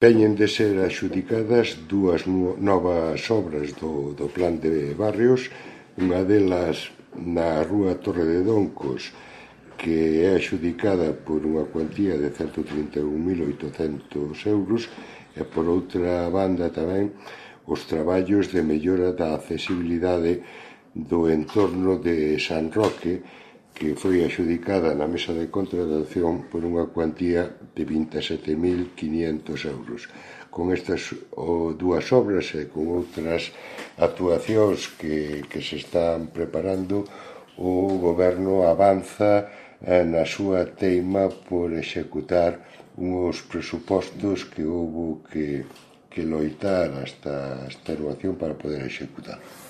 Teñen de ser adxudicadas dúas novas obras do Plan de Barrios, unha delas na rúa Torre de Doncos, que é adxudicada por unha cuantía de 131.800 euros, e por outra banda tamén os traballos de mellora da accesibilidade do entorno de San Roque, que foi adxudicada na mesa de contratación por unha cuantía de 27.500 euros. Con estas dúas obras e con outras actuacións que se están preparando, o Goberno avanza na súa teima por executar uns presupostos que houbo que loitar hasta a extenuación para poder executar.